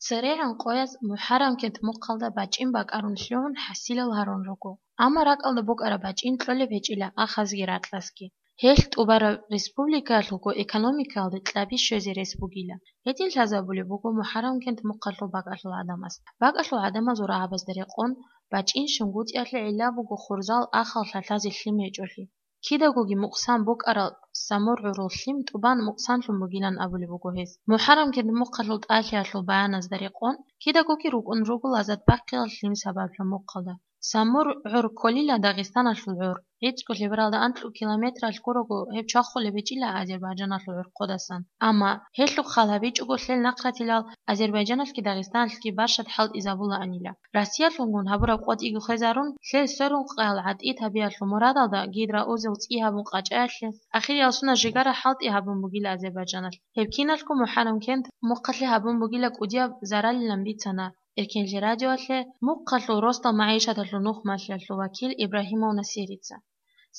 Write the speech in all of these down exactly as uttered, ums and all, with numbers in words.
ЦерегӀан къояз МухӀаррамкент мухъалда бачӀин бакӀарун лъугӀун хӀасилал гьарун руго. Амма ракӀалда букӀараб бачӀин кьолеб гьечӀила ахазги ракьасги. Гьелъ тӀубараб республикаялъулго экономикаялде кьаби щвезе рес бугила. Гьедин лъазабулеб буго МухӀаррамкент мухъалъул бакӀалъул гӀадамаз. БакӀалъул гӀадамазул рагӀабазда рекъон, бачӀин ШунгутӀиялъе гӀилла буго хурзал ахал лъалъазе лъим гьечӀолъи. Кидагоги мукъсан букӀарал Самур гӀурул лъим тӀубан мукъсанлъун бугилан абулеб буго гьез. МухӀаррамкент мухъалъул тӀалъиялъул баяназда рекъон, кидагоги рукӀун руго лазат бахъиялъ лъим сабаблъун мухъалда. Самур гӀур кколила Дагъистаналъул гӀур. ГӀицӀго лъебералда анкьго километралъ гурого гьеб чвахулеб гьечӀила Азербайджаналъул гӀурхъудасан. Амма гьелъухъ хал гьабичӀого лъел нахъратилал Азербайджаналъги Дагъистаналъги баршад хӀалтӀизабулаанила. Россиялъунгун гьабураб къотӀиги хвезарун, лъел сверухъаял гӀатӀид гьабиялъул мурадалда гидроузел цӀи гьабун къачӀаялъе, ахириял сунат жигара хӀалтӀи гьабун бугила Азербайджаналъ. Гьеб киналго МухӀаррамкент мухъалъе гьабун бугила кӀудияб заралилан бицана Эркенлъи радиоялъе мухъалъул росдал магӀишаталъул нухмалъиялъул вакил Ибрагьимов Насирица.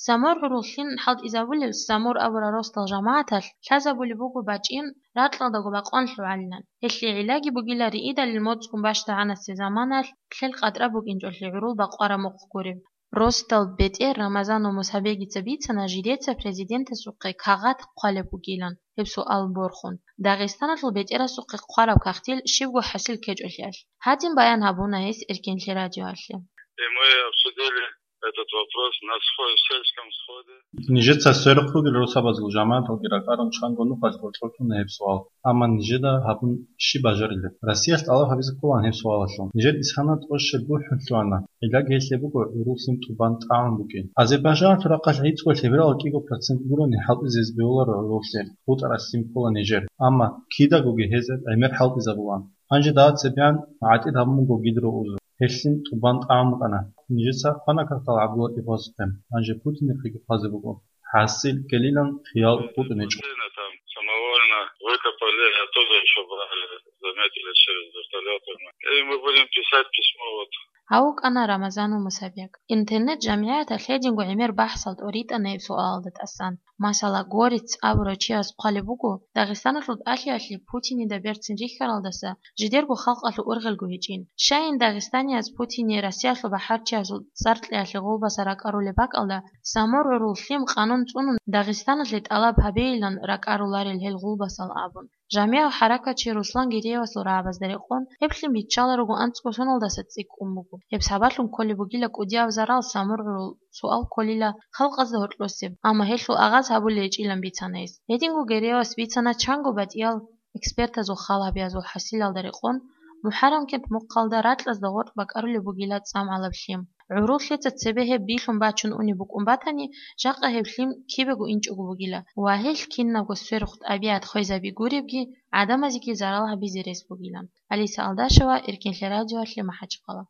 Самур гӀурул лъим хӀалтӀизабулел Самур абурал росдал жамагӀаталъ лъазабулеб буго бачӀин ракьалдаго бакъван лъугӀалилан. Гьелъие гӀиллаги бугила риидалил моцӀгун бащдагӀанасе заманалъ лъел къатӀра букӀинчӀолъи гӀурул бакъвараб мухъ гуреб. Росдал бетӀер Рамазанов Мусабегица бицана жидеца президентасухъе кагъат хъвалеб бугилан гьеб суал борхун. Дагъистаналъул бетӀерасухъе хъвараб кагътил щибго хӀасил ккечӀолъиялъ. Гьадин баян гьабуна гьес Эркенлъи радиоялъе. И мы обсудили этот вопрос на схо-, сельском сходе. Нижеца сверухъ ругел росабазул жамагӀаталги ракӀарун чанго нухалъ гъоркьор кьуна гьеб суал. Амма нижеда гьабун щиб бажарилеб? Россиялъ тӀалаб гьабизе кколаан гьеб суалалъул. Нижер исхана тӀощеб бухӀун лъугьана. Гьелъ гьелъие буго гӀурул лъим тӀубан тӀагӀун букӀин. Азербайджаналъул рахъалъ гӀицӀго лъеберал кӀиго процент гурони хӀалтӀизе бегьуларо гӀурул лъим, бутӀараб лъим ккола нижер. Амма кидагоги гьезда гӀемер хӀалтӀизабулаан. Гьанже дагьа цебегӀан гӀатӀид гьабун буго гидроузел. Гьелъин тӀубан тӀагӀун букӀана. Нижеца хвана кагътал ГӀабдуллатӀиповасухъе. Гьанже Путинихъеги хъвазе буго. ХӀасил ккелилан хиял хутӀун гьечӀо. Там самовольно выкопали, оттуда ещё брали, заметили через вертолёты. И мы будем писать письмо, вот. Гьав вукӀана Рамазанов Мусабек. Интернет-жамгӀияталъ гьединго гӀемер бахӀсал тӀоритӀана гьеб суалалда тӀасан. Масала, Горец абурав чияс хъвалеб буго, Дагъистаналъул тӀалъиялъе Путинида берцин рихьаралдаса жидерго халкъалъул ургъелго гьечӀин. Щайин дагъистанияз Путине Россиялъул бахӀарчиясул цӀар кьеялъе гъулбаса ракӀарулеб бакӀалда, Самур гӀурул лъим къанун цӀунун Дагъистаналъе тӀалаб гьабейилан ракӀаруларел гьел гъулбасал абун. ЖамигӀав хӀаракатчи Руслан Гереевасул рагӀабазда рекъон, гьеб лъим биччаларуго анцӀго соналдаса цӀикӀкӀун буго. Гьеб сабаблъун кколеб бугила кӀудияб зарал Самур гӀурул суал кколила халкъазда гьоркьосеб, амма гьелъул агъаз гьабулел гьечӀилан бицана гьес. Гьединго Гереевас бицана чанго батӀиял экспертазул хал гьабиязул хӀасилалда рекъон, МухӀаррамкент мухъалда ракьазда гъоркь бакӀарулеб бугила цӀамгӀалаб лъим. ГӀурул лъица цебе гьеб билъун бачун унеб букӀун батани, жакъа гьеб лъим кибего инчӀого бугила ва гьелъ кинабго сверухъ тӀабигӀат хвезаби гуребги, гӀадамазеги зарал гьабизе рес бугилан. Алиса Алдашева, Эркенлъи радиоялъе, МахӀачхъала.